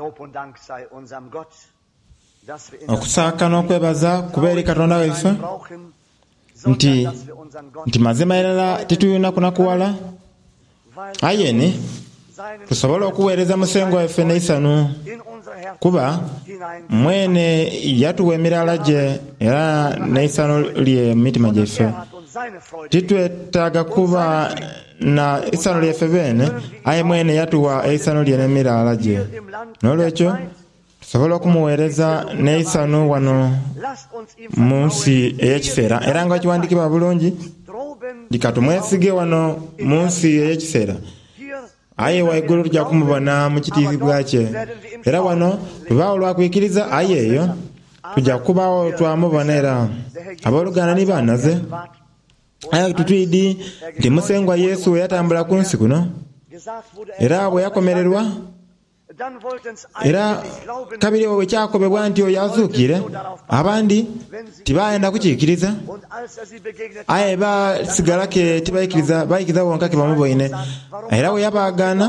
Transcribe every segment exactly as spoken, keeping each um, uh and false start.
Lob und Dank sei unserem Gott, dass wir in Okusaaka n'okwebaza kuba eri Katonda waife brauchen, nti sondern dass wir unseren Gott nti mazima irala titulina kunakuwala weil aye ni seinen tusobole okuweereza musengwa waife n'eisanu in unser Herz kuba hinein mwene yatuwa emirala gye era n'eisanu lye mu mitima gyaife. Er hat uns seine Freude Titwetaaga kuba na isanu lyaife beene aye mwene yatuwa eisanu lye n'emirala gye. im Land der N'olwekyo Zeit. tusobola okumuweereza n'eisanu wano Lasst uns ihm mu nsi vertrauen, ey'ekiseera era nga kiwandiikibwa bulungi droben lika tumwesige wano mu nsi ey'ekiseera hier aye waigulu tujja kumubona mu kitiibwa kye era wano tubaawo lwakwikiriza aye eyo tujja kubaawo twamubona era abooluganda ni banaze aye tutwidi nti musengwa Yesu yatambula ku nsi kuno gesagt wurde, er era bwe yakomererwa dann wollten's era einige nicht glauben kabiri bwe kyakobebwa nti oyo azuukire abandi tibayenda kukiikiriza und als er sie begegnet aye basigala ke tibaikiriza baikiriza bonka ke bamuboine era bwe yabaagaana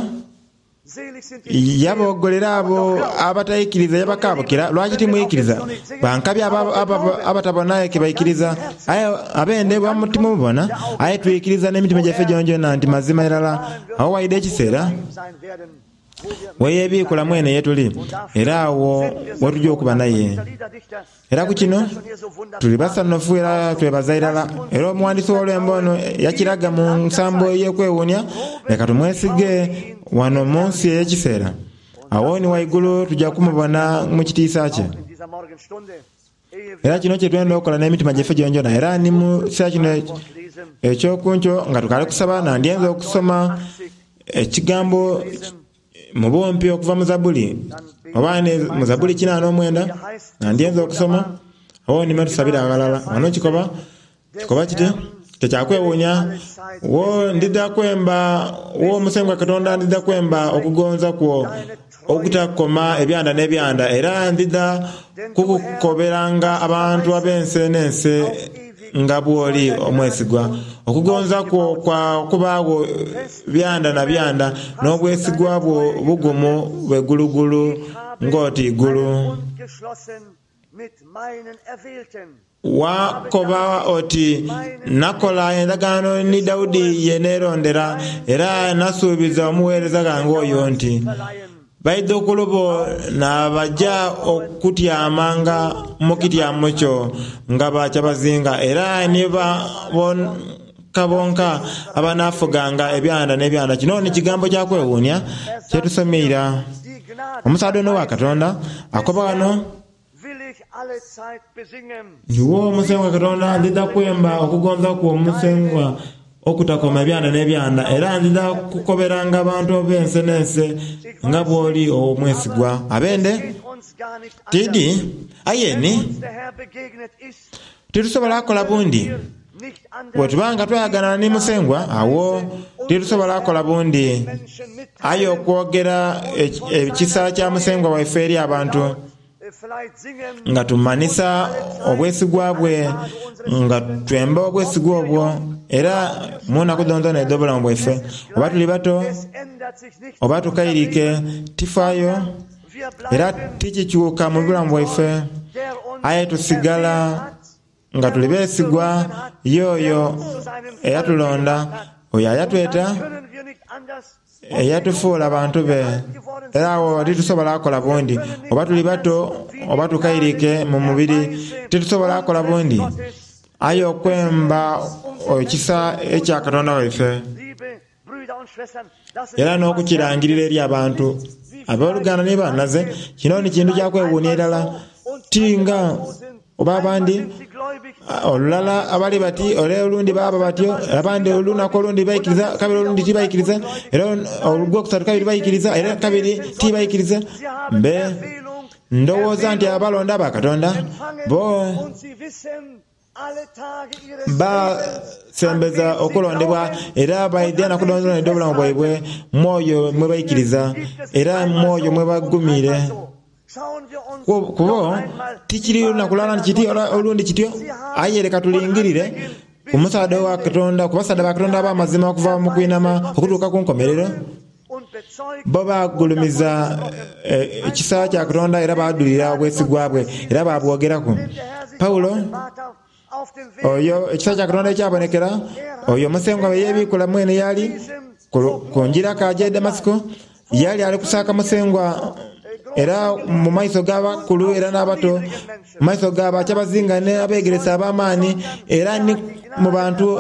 selig sind die yaboogolera abo abataikiriza yabakabukira lwaki timwikiriza bankabi aba- aba- abatabonaye ke baikiriza aye abende bamutimubona aye twikiriza n'emitima gyaffe gyongyona nti mazima irala awo waide ekiseera sein werden, wo wir weyebiikula mwene yetuli era awo wetujja okuba naye der Liederdichter era ku kino schon hier so wunderbar tuli basanufu era twebaza irala era omuwandiisi w'olwembo ono yakiraga mu nsambo ey'okwewuunya leka tumwesige wano mu nsi ey'ekiseera awo ni waigulu tujja kumubona mu kitiisa kye in dieser Morgenstunde, ehe wir era kino kye twenda okukola n'emitima gyaffe gyongyona era ni mu kiseera kino lesen, ekyokunkyo nga tukali kusaba nandyenza okusoma ekigambo mu bumpi okuva mu Zabuli oba ne mu Zabuli kinaana omwenda nandyenza okusoma awo nime tusabire aghalala wano kikoba kikoba kiti tekyakwewuunya wo ndidha kwemba wo musengwa Katonda ndidha kwemba okugonza kwo okutakoma ebyanda n'ebyanda era ndidha kukukoberanga abantu ab'ensi n'ensi nga bw'oli omwesigwa okugonza kwo kwa kubaawo byanda na byanda n'obwesigwa bwo bugumu bwegulugulu ng'oti igulu Bund geschlossen mit meinen Erwählten. wakoba oti nakola endagaano ni Dawudi ye neerondera era nasuubiza omuweereza gange oyo nti Verleihen. baidhukulu bo nabajja okutyamanga mu kityamo kyo nga bakyabazinga era ni bonka bonka abanaafuganga ebyanda n'ebyanda. Kino ni kigambo kya kwewuunya kyetusomeira. Die Gnade Omusaadha ono wa Katonda akoba wano will ich alle Zeit besingen. Iwe omusengwa Katonda ndidha kwemba okugonza kwo omusengwa okutakoma ebyanda n'ebyanda era ndidha kukoberanga abantu ab'ensi n'ensi nga bw'oli omwesigwa. Abende Geht uns gar nicht anders. tidi aye ni Uns der Herr begegnet ist, titusobola kukola bundi nicht anders bwe tubanga twayaganana ni musengwa awo titusobola kukola bundi Menschen mitteilen, aye okwogera eki- ekisa kya musengwa waife eri abantu äh, vielleicht singen, nga tumanisa obwesigwa bwe nga twemba obwesigwa obwo era munaku dhonzona edh'obulamu bwaife oba tuli bato es ändert sich nichts. oba tukairike tifaayo Wir era bleiben tikikyuka mu bulamu bwaife der uns aye tusigala erwählt hat, nga tuli beesigwa y'oyo eyatulonda oyo ayatweta können wir nicht anders eyatufuula bantu be era awo titusobola kukola bundi oba tuli bato oba tukairike mu mubiri titusobola kukola bundi aye okwemba ekisa ekya Katonda waife Liebe Brüder und Schwestern, das ist era etwas n'okukirangirira eri abantu abooluganda ni banaze kino ni kintu kya kwewuunya irala ti nga oba abandi Sind sie gläubig, olulala abali bati ole olundi baaba batyo abandi olunaku olundi baikiriza kabiri olundi tibaikiriza era olwokusatu kabiri baikiriza era kabiri tibaikiriza sie haben mbe Erwählung ndowooza nti abalonda ba Katonda empfangen bo und sie wissen alle Tage ihres basembeza okulondebwa era baidya nakudonzona nedde obulamu bwaibwe mwoyo mwe baikiriza era mwoyo mwe bagumiire Schauen wir uns Ku- kubo noch einmal tikiri lunaku lulala nti kiti ola- olundi kityo aye leka tulingirire ku musaadha wa Katonda ku basaadha ba Katonda ab'amazima okuva mu kwinama okutuuka ku nkomerero und Bo bagulumiza ekisa kya Katonda era badulira obwesigwa bwe era babwogeraku. Pawulo oyo ekisa kya Katonda ekyabonekera oyo Musengwa bwe yeebikula mwene yali ku njira kaja e Damasiko, yali ali kusaaka Musengwa era mu maiso g'abakulu era n'abato, mu maiso g'abakyabazinga n'abeegeresa ab'amaani era ni mu bantu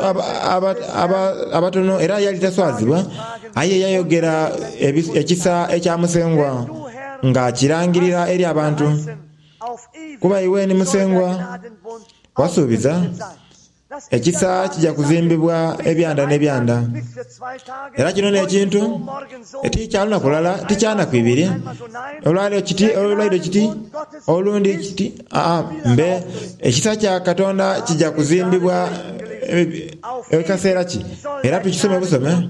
abatono, era yali taswazibwa. Aye yayogera ekisa ekya Musengwa nga kirangirira eri abantu. Kuba iwe ni Musengwa wasuubiza ekisa kijja kuzimbibwa ebyanda n'ebyanda. Era kino n'ekintu tikya lunaku lulala, tikya naku ibiri, olwaleero kiti, olwaidho kiti, olundi kiti. Aa mbe ekisa kya Katonda kijja kuzimbibwa ekaseera ki? Era tukisome busome.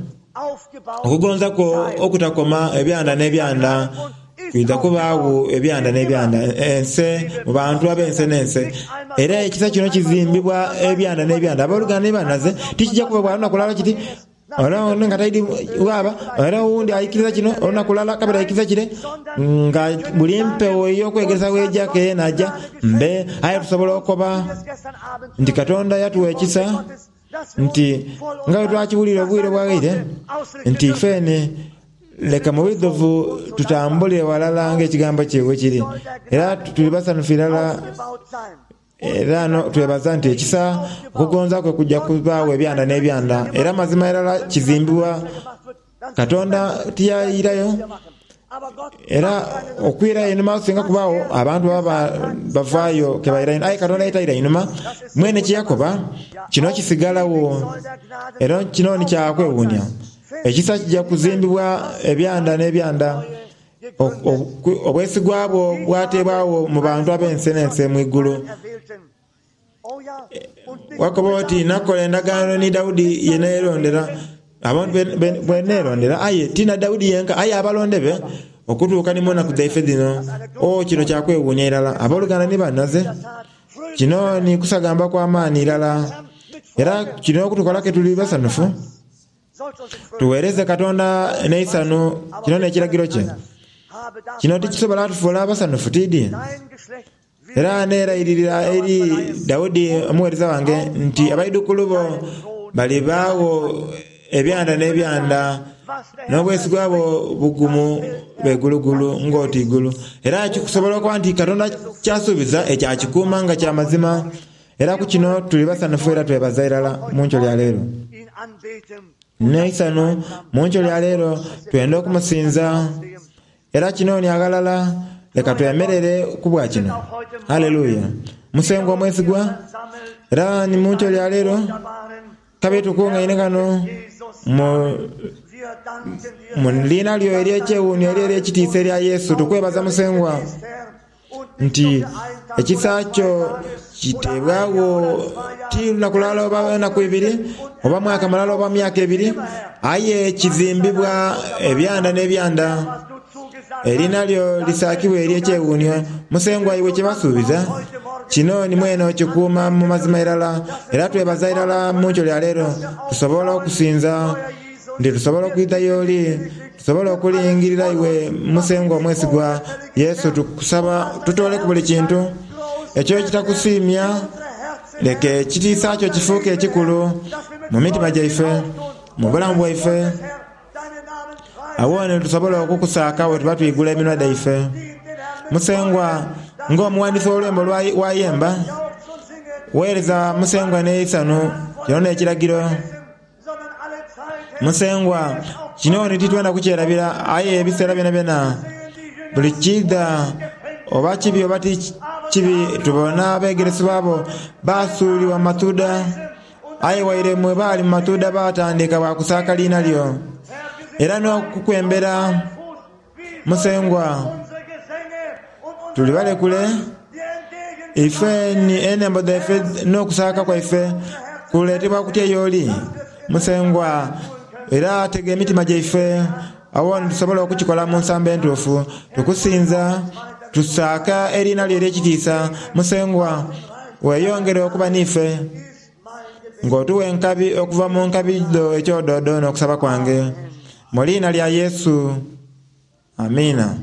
Okugonza kwo okutakoma ebyanda n'ebyanda kwidha kubaagho ebyanda n'ebyanda ense mu bantu ab'ense n'ense. Era ekisa kino kizimbibwa ebyanda n'ebyanda. Abooluganda ni banaze tikijja kuba bwa lunaku lulala kiti era ono nga taidi bwaba, era owundi aikiriza kino olunaku lulala kabiri aikiriza kire, nga buli mpewo ey'okwegeresa weja keena aja mbe. Aye tusobola okukoba nti Katonda yatuwa ekisa nti nga bwe twakiwulira obwire obwaghaire nti ifeene leka mu bwidhuvu tutambulire walala ng'ekigambo kye bwe kiri, era tuli basanhufu irala. Era no twebaza nti ekisa okugonza kwe kujja kubaagho ebyanda n'ebyanda. Era mazima irala kizimbibwa Katonda tiyayirayo, era okwirayo einhuma singa kubaagho abantu baba bavaayo kebairayo. Aye Katonda yetaira einhuma mwene kyeyakoba kino kisigalagho, era kino ni kyakwewuunia. Ekisa kijja kuzimbibwa ebyanda n'ebyanda. Obwesigwa bwo bwateebwagho mu bantu ab'ense n'ense mu igulu. Wakoba oti nakola endagaano ni Daudi ye neerondera, abantu bwe neerondera, aye ti na Daudi yenka, aye abalonde be okutuuka ni mu naku dhaife dhino. O, kino kyakwewuunia irala. Abooluganda ni banaze, kino ni kusagamba kwa maani irala, era kino okutukola ke tuli basanhufu. Tuweereze Katonda n'eisanhu, kino n'ekiragiro kye. Kino tikisobola tufuula basanhufu tiidi? Era neerayiririra eri Daudi omuweereza wange nti abaidhukulu bo balibaagho ebyanda n'ebyanda, n'obwesigwa bwo bugumu begulugulu ng'oti igulu. Era kikusobola okuba nti Katonda kyasuubiza ekyo akikuuma nga kya mazima. Era ku kino tuli basanhufu era twebaza irala mu nkyo lya leero. N'eisanhu mu nkyo lya leero twenda okumusinza. Era kino ni aghalala, leka twemerere ku bwa kino. Haleluya! Musengwa omwesigwa, era ni mu nkyo lya leero kabe tukungaine ghano mu mu liina lyo ery'ekyewuunio eri ery'ekitiisa erya Yesu, tukwebaza Musengwa nti ekisa kyo kiteebwagho ti lunaku lulala oba enaku ibiri oba mwaka mulala oba myaka ebiri, aye kizimbibwa ebyanda n'ebyanda. Eriina lyo lisaakibwa ery'ekyewuunio. Musengwa iwe kye wasuubiza kino ni mwene okikuuma mu mazima irala. Era twebaza irala mu nkyo lya leero tusobola okusinza nti tusobola okwidha y'oli, tusobola okulingirira iwe Musengwa omwesigwa Yesu. Tukusaba tutoleku buli kintu ekyo ekitakusiimya, leka ekitiisa kyo kifuuke ekikulu mu mitima gyaife, mu bulamu bwaife. Awo tusobola okukusaaka bwe tuba twigula eminwa dhaife. Musengwa, ng'omuwandiisi w'olwembo wayemba, weereza Musengwa n'eisanhu, kino n'ekiragiro. Musengwa, kino ni titwenda kukyerabira, aye ebiseera byonabyona buli kiidha oba kibi oba ti kibi, tubona abeegeresebwa bo basuulibwa mu matuuda, aye waire mwe baali mu matuuda batandika bwa kusaaka liina lyo era n'okukwembera. Musengwa, tuli balekule ife ni enembo dhaife n'okusaaka kwaife kuleetebwa kutya y'oli Musengwa, era tega emitima gyaife awo nitusobola okukikola mu nsambo entuufu. Tukusinza, tusaaka eriina lyo ery'ekitiisa. Musengwa, weeyongere okuba n'ife ng'otuwa enkabi okuva mu nkabi dho ekyododo n'okusaba kwange. Mu liina lya Yesu, amiina.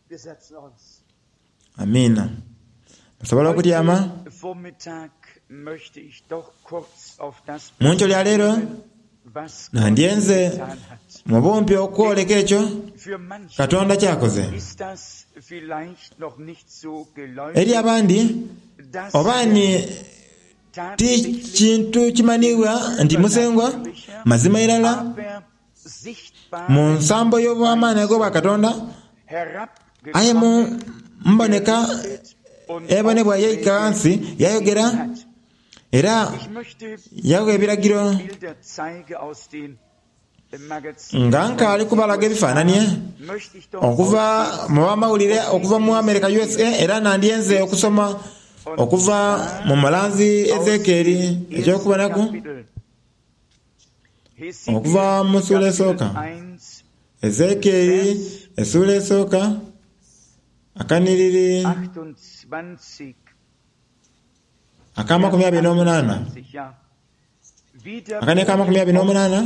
Wir setzen uns. Amiina. Musobola okutyama? Heute Vormittag möchte ich doch kurz auf das Mu nkyo lya leero was Gott nandyenze getan hat. mu bumpi okwoleka ekyo Für manche Katonda kyakoze. ist das vielleicht noch nicht so Eri geläufig, abandi dass oba ni ti tatsächlich kintu kimanibwa nti Musengwa mazima irala aber sichtbar mu nsambo y'obwamaanyi ag'obwa Katonda aye mu herabgekommen mboneka und ebonebwa yaika ghansi yayogera hat. era Ich möchte yawa ebiragiro Bilder zeige aus den Magazinen. nga nkaali kubalaga ebifaananie Möchte ich doch okuva mu bamawulire okuva mu America U S A era nandyenze okusoma okuva mu mulanzi Ezekieri ekyokubonaku okuva mu ssuula esooka. Ezekieri essuula esooka akaniriri akamakumi abiri n'omunaana akane ka makumi abiri n'omunaana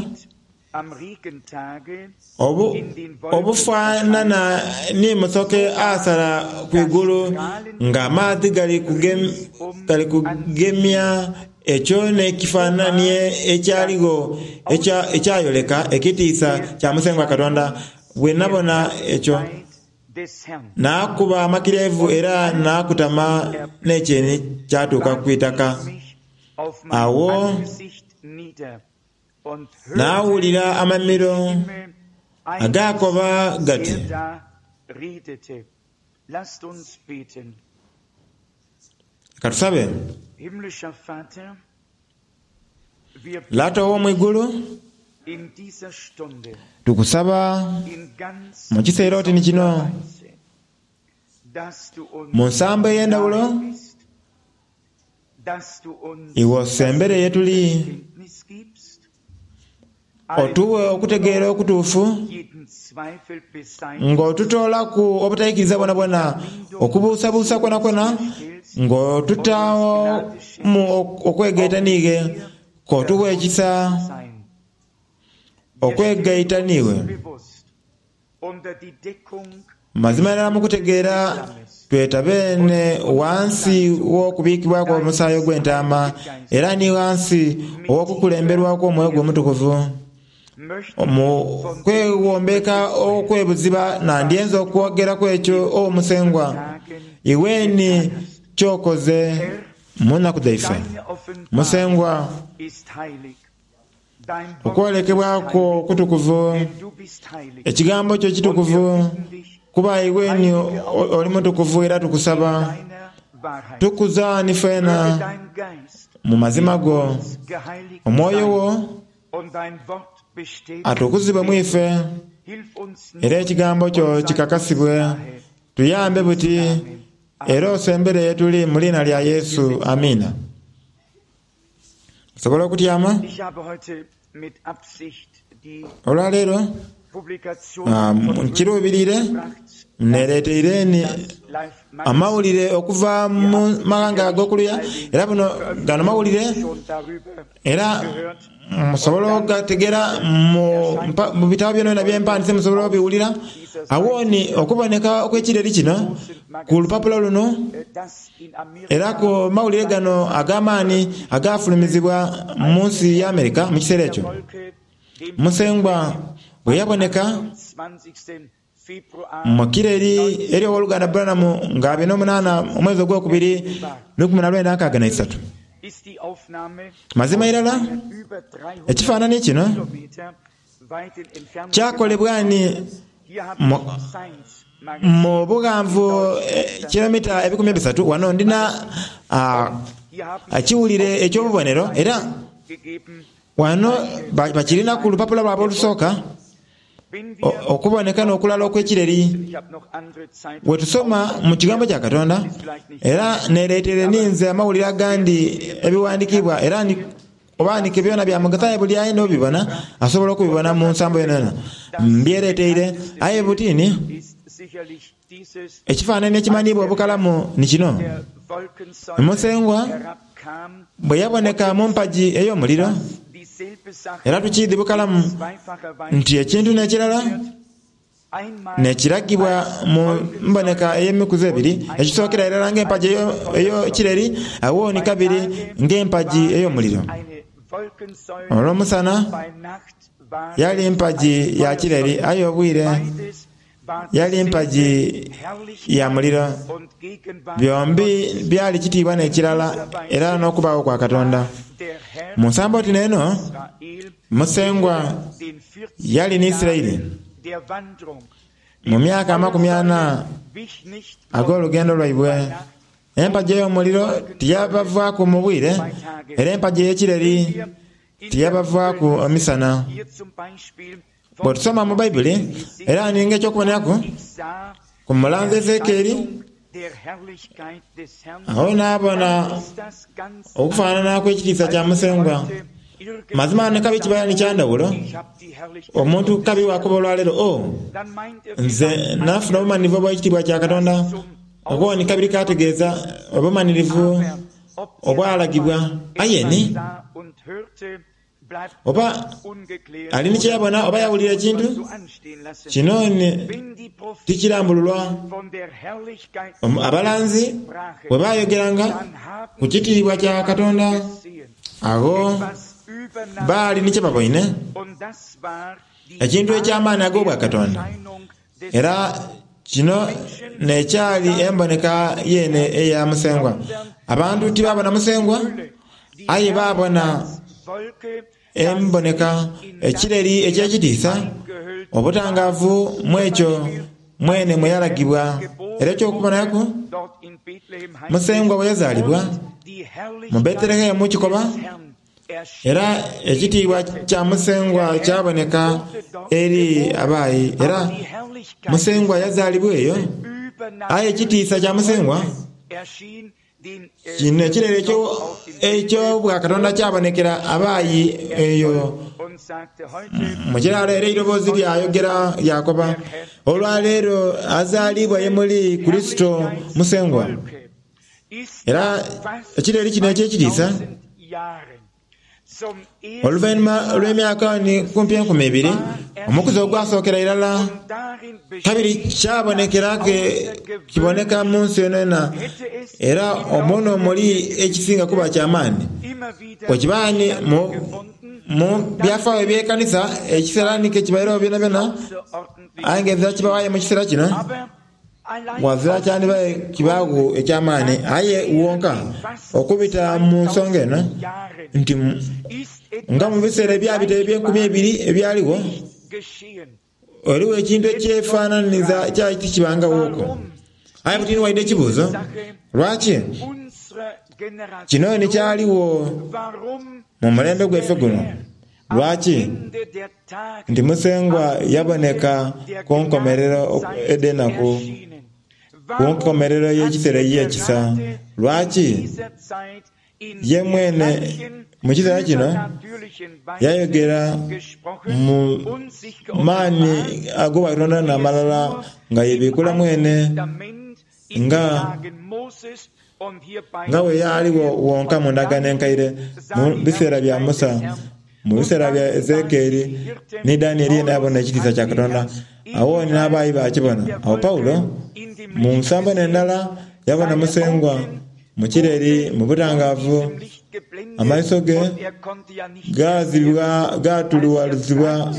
obu obufaanana ni musoke asala kwigulu ng'amaadhi gali kugem, gali kugemya ekyo n'ekifaananie ekyaligho ekya- ekyayoleka ekitiisa kya Musengwa Katonda. Bwe nabona ekyo naakuba amakirevu era naakutama n'ekyeni kyatuuka ku itaka. Awo naawulira amamiro agaakoba gati, Lasst uns beten. katusabe. Himmlischer Vater, wir Lata ow'omwigulu, in dieser Stunde tukusaba in ganz mu kiseera oti ni kino Weise, dass du uns mu nsambo ey'endawulo nahe bist, dass du uns iwe osembere ye tuli Kenntnis gibst, otuwe okutegeera okutuufu jeden Zweifel beseitigst, ng'otutoolaku obutaikiriza bwonabwona okubuusabuusa kwonakwona ng'otutaawo mu okwegaita niiwe k'otuwa ekisa sein. okwegaita niiwe. Bewusst unter die Deckung Mazima ddala mu kutegeera twetabene wansi w'okubiikibwako omusaayi ogw'entaama era ni wansi ow'okukulemberwako omwoyo gwe omutukuvu. möchte Mu kwewombeka okwebuziba nandyenze okwogeraku ekyo omusengwa iweni kyokoze mu nnaku dhaife. deine Offenbarung Musengwa ist heilig. Dein Wort okwolekebwako kutukuvu, denn du bist heilig. ekigambo kyo kitukuvu, kuba iweni oli mutukuvu era tukusaba Deiner Wahrheit. tukuzaani Möge feena dein Geist mu mazima go uns geheiligt omwoyo sein wo und dein Wort bestätigt atukuzibwe mu ife Hilf uns nun era ekigambo kyo und sei uns kikakasibwe nahe. tuyambe buti era osembere ye tuli mu liina lya Yesu amiina. Osobola okutyama? Ich habe heute mit Absicht die Olwaleero Publikation ah, von nkiruubirire gebracht, nereeteire ni das Life Magazine amawulire okuva mu mawanga ag'okuluya era buno gano mawulire schon darüber era gehört. musobola ogategera mu mpa- mu bitabo byona byempandise musobola obiwulira. Awo ni okuboneka okw'ekireri kino ku lupapula luno äh, dass in Amerika era ku mawulire gano ag'amaanyi agafulumizibwa mu nsi ya Amerika mu kiseera ekyo. Wolke dem Musengwa bwe yaboneka zwanzigsten Februar mu kireri eri owooluganda Branham nga abiri n'omunaana omwezi ogwokubiri lukumi na lwenda nkaaga na isatu. ist die Aufnahme Mazima irala über dreihundert ekifaananyi kino Kilometer weiten Entfernung kyakolebwa ni Hier habe mu- ich Science Magazine mu bughanvu eh, kilomita ebikumi ebisatu wano ndina ah, Hier haben ekiwulire eky'obubonero era gegeben, wano ba- bakirina ku lupapula lwabwe olusooka wenn o- wir okuboneka n'okulala okw'ekireri. ich habe noch andere Zeitungen Bwe tusoma mu kigambo kya Katonda era nereetere ninze amawulire agandi ebiwandiikibwa era ni obaanike byona bya mugaso aye buli ayina obibona asobola okubibona mu nsambo yonayona mbyereeteire aye butiini ist sicherlich dieses ekifaananyi ekimanyiibwa obukalamu ni kino. der Wolkensäule Musengwa herabkam, bwe yaboneka mu mpagi ey'omuliro die Era tukiidhi bukalamu nti ekintu n'ekirala nekiragibwa mu mboneka ey'emikuzi ebiri, ekisookera irala ng'empagi ey'ekireri, awo ni kabiri ng'empagi ey'omuliro. Olw'omusana yali mpagi ya kireri, aye obwire yali mpagi ya muliro. Byombi byali kitiibwa n'ekirala era n'okubaawo kwa Katonda. Mu nsambo oti n'eno, Musengwa yali ni Isiraeli mu myaka amakumi ana ag'olugendo lwaibwe. Empagi ey'omuliro tiyabavaaku mu bwire, era empagi ey'ekireri tiyabavaaku emisana. Bwe tusoma mu Baibuli era ninga eky'okuboneraku ku mulanzi Ezekieri, agho naabona okufaanana kw'ekitiisa kya Musengwa. Mazima ni kabi kibaire ni kya ndhawulo, omuntu kabi wakuba olwaleero, o nze nafuna obumanhirivu obw'ekitiibwa kya Katonda. Okwo ni kabiri kategeeza obumanhirivu obwalagibwa. Aye ni oba ali ni kyeyabona oba yawulira ekintu kino ni tikirambululwa. Abalanzi bwe bayogeranga ku kitiibwa kya Katonda, agho baali ni kyebaboine, ekintu eky'amaani ag'obwakatonda. Era kino n'ekyali emboneka yeene eya Musengwa. Abantu tibabona Musengwa, aye babona emboneka, ekireri eky'ekitiisa, obutangaavu mu ekyo mwene mwe yalagibwa. Era eky'okubonaku, Musengwa bwe yazaalibwa mu Betelehemu kikoba, era ekitiibwa kya Musengwa kyaboneka eri abaayi. Era Musengwa yazaalibwa eyo, aye ekitiisa kya Musengwa kino ekirere eky'obwakatonda kyabonekera abaayi eyo mu kiralo. Era eiroboozi lyayogera lyakoba, olwaleero azaalibwa ye muli Kurisito Musengwa. Era ekireri kino eky'ekitiisa oluvainhuma lw'emyaka ni kumpi enkumi ibiri, omukuzi ogwasookera irala kabiri kyabonekera ke kiboneka mu nsi yonayona. Era omwo n'omuli ekisinga kuba kyamaani bwekiba ni mu byafaayo eby'ekanisa ekiseera ni kekibairegho byonabyona, aye nga ezira kibawayo mu kiseera kino wazira kyandibaye kibaagho eky'amaani. Aye wonka okubita mu nsonga eno nti nga mu biseera ebyabita eby'enkumi ebiri ebyaligho, eriwo ekintu ekyefaananiza kyali tikibangaghoku. Aye buti ni waidha ekibuuzo, lwaki kino ni kyaligho mu mulembe gwaife guno? Lwaki nti Musengwa yaboneka ku nkomerero edh'enaku, ku nkomerero y'ekiseera ey'ekisa? Lwaki ye mwene mu kiseera kino yayogera mu maani ag'obwakatonda n'amalala nga yebiikula mwene nga nga bwe yaligho wonka mu ndagaano enkaire mu biseera bya Musa, mu biseera bya Ezekieli ni Danieli yena yabona ekitiisa kya Katonda. Agho ni n'abaayi baakibona. Agho Paulo mu nsambo n'endala yabona Musengwa mu kireri mu butangaavu, amaiso ge gaazibwa gaatuluwalizibwa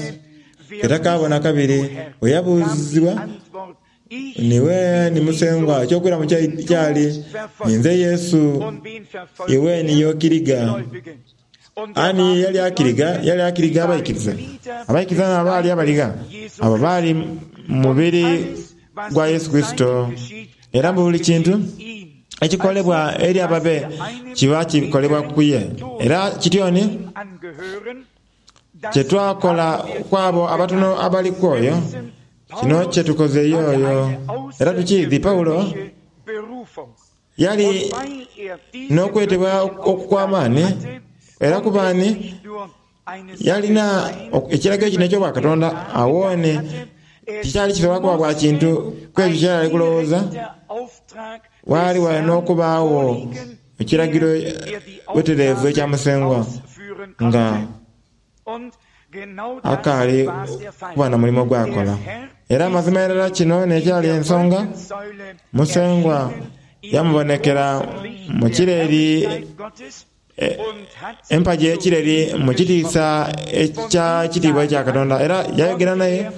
etakaabona kabiri. Bwe yabuuzibwa, niwe ni Musengwa, eky'okwiramu kyali, ninze Yesu, iwe ni y'okiriga. Ani yali akiriga? Yali akiriga abaikiriza. Abaikiriza n'abaali abaliga, abo baali mubiri gwa Yesu Kurisito. Era mu buli kintu ekikolebwa eri ababe kiba kikolebwa ku ye. Era kityo ni kye twakola ku abo abatono abali ku oyo, kino kye tukoze y'oyo. Era tukiidhi Paulo yali n'okwetebwa okw'amaani, era kuba ni yalina ekiragiro kino eky'obwakatonda. Agho ni tikyali kisobola kuba bwa kintu ku ekyo kyeyali ali kulowooza. Waali wali n'okubaagho ekiragiro butereevu ekya Musengwa nga Akaali kuba na mulimo gwakola. Era amazima irala kino n'ekyali ensonga, Musengwa yamubonekera mu kireri, empagi ey'ekireri mu kitiisa ekya kitiibwa ekya Katonda, era yayogera naye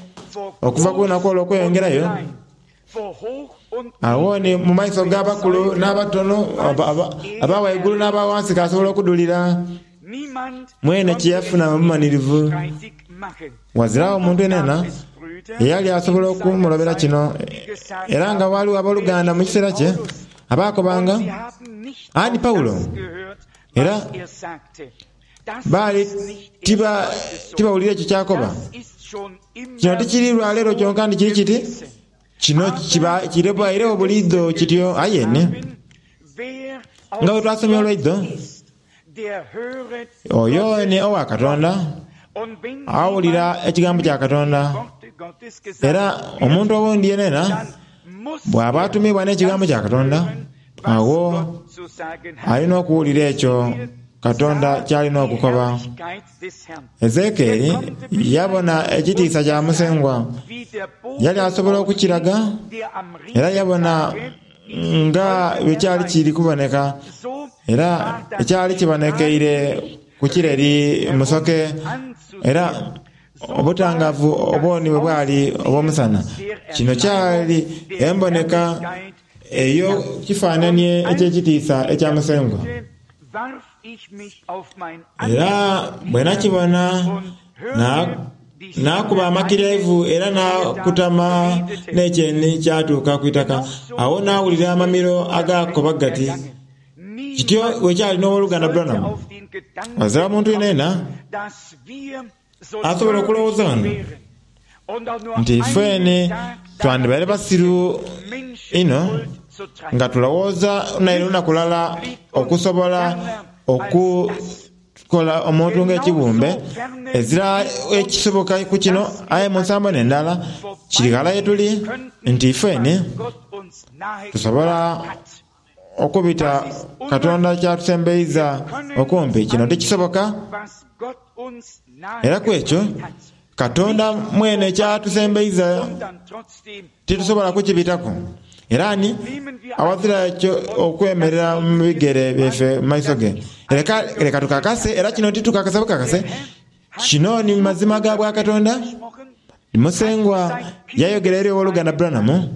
okuva ku lunaku olwo okweyongerayo. Agho ni mu maiso g'abakulu n'abatono, aba waigulu n'aba wansi kasobola okudhulira mwene kye yafuna mu bumanhirivu. Ghaziragho omuntu yenayena eyali asobola okumulobera kino, era nga ghaligho aboluganda mu kiseera kye abaakobanga, "Ani Pawulo?" Era baali tibawulira ekyo kyakoba. Kino tikiri lwa leero kyonka ndi kiri kiti kino kirabairegho buliidho kityo. Aye ni nga bwe twasomye olwaidho, oyo ni owa Katonda awulira ekigambo kya Katonda, era omuntu owundi yenayena bw'aba atumibwa n'ekigambo kya Katonda, agho alina okuwulira ekyo Katonda ky'alina okukoba. Ezekieri yabona ekitiisa kya Musengwa, yali asobola okukiraga, era yabona nga bwe kyali kiri kuboneka, era ekyali kibonekeire ku kireri musoke, era obutangavu obwoni bwe bwali obw'omusana. Kino kyali emboneka ey'ekifaananie eky'ekitiisa ekya Musengwa. Era bwe nakibona, naakuba amakiryaivu era naakutama n'ekyeni kyatuuka ku itaka. Agho naawulira amamiro agakoba gati, "Kityo bwe kyali n'owoluganda Branham." Ghazira muntu yenayena asobola okulowooza ghano nti ifeene twandibaire basiru inho nga tulowooza naire lunaku lulala okusobola okukola omuntu ng'ekibumbe. Ezira ekisoboka ku kino, aye mu nsambo n'endala kiri ghala ye tuli nti ifeene tusobola okubita Katonda ky'atusembeiza okumpi. Kino tikisoboka, era ku ekyo Katonda mwene ky'atusembeiza titusobola kukibitaku. Era ni awazira ekyo okwemerera mu bigere byaife mu maiso ge. Leka, leka tukakase, era kino titukakasa bukakase, kino ni mazima ga bwa Katonda. Musengwa yayogera eri owoluganda Branham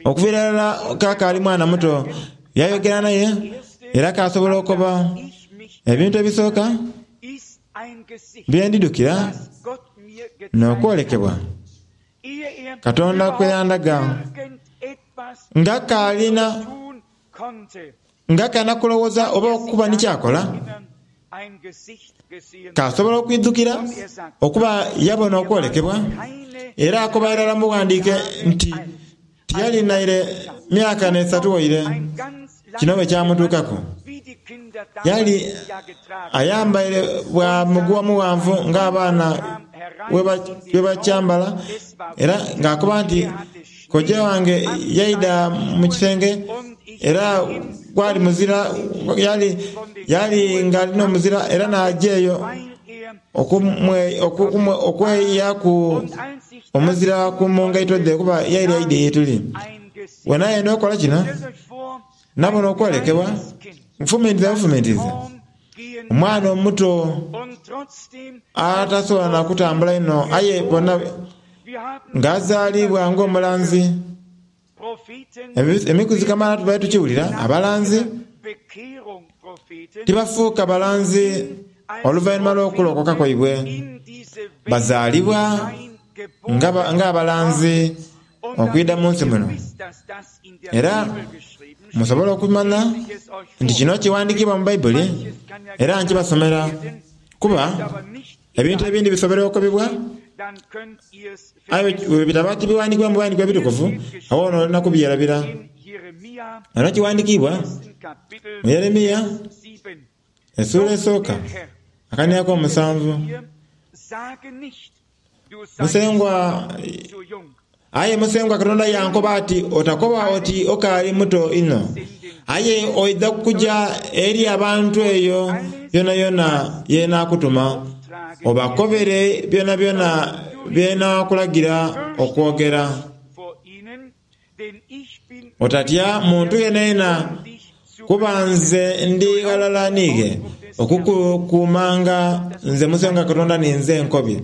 okuviira irala kakaali mwana muto, yayogera naye era kasobola okukoba ebintu ebisooka bye ndidhukira n'okwolekebwa Katonda kwe yandaga nga kaalina nga kalina kulowooza oba okuba ni kyakola, kasobola okwidhukira okuba yabona okwolekebwa, era akoba irala mu bughandiike nti tiyali naire myaka n'esatu waire kino bwe kyamutuukaku. Yali ayambaire bwa muguwa mughanvu ng'abaana bwe bakyambala, era ng'akoba nti kojja wange yaidha mu kisenge era gwali muzira, yali yali nga alina omuzira, era n'aja eyo okweyaku omuzira ku mu ngaito dhe kuba yaire aidhe ye tuli. Bwe nayenda okukola kino, nabona okwolekebwa, nfumintiriza bufumintiriza omwana omuto atasobola na kutambula inho, aye bona ng'azaalibwa ng'omulanzi. Emikuzi kamaala tubaire tukiwulira, abalanzi tibafuuka balanzi oluvannyuma lw'okulokoka kwaibwe. Bazaalibwa ng'abalanzi okwidha mu nsi muno. Era musobola okumanya nti kino kiwandiikibwa mu Baibuli, era nkibasomera kuba ebintu ebindi bisobola okukobebwa, aye bwe bitaba tibiwandiikibwa mu biwandiiko ebitukuvu, agho n'olina kubyerabira. Eno kiwandiikibwa mu Yeremiya essuula esooka akaniya ak'omusanvu. Musengwa, aye Musengwa Katonda yankoba ati, "Otakoba oti okaali muto inho, aye oidha kuja eri abantu eyo yonayona ye naakutuma, Obakobere byonabyona bye nnaakulagira okwogera. Vor ihnen, denn ich bin Otatya muntu yenayena, um dich zu kuba nze ndi ghalala niiwe okukukuumanga nze Musengwa Katonda ninze nkobye.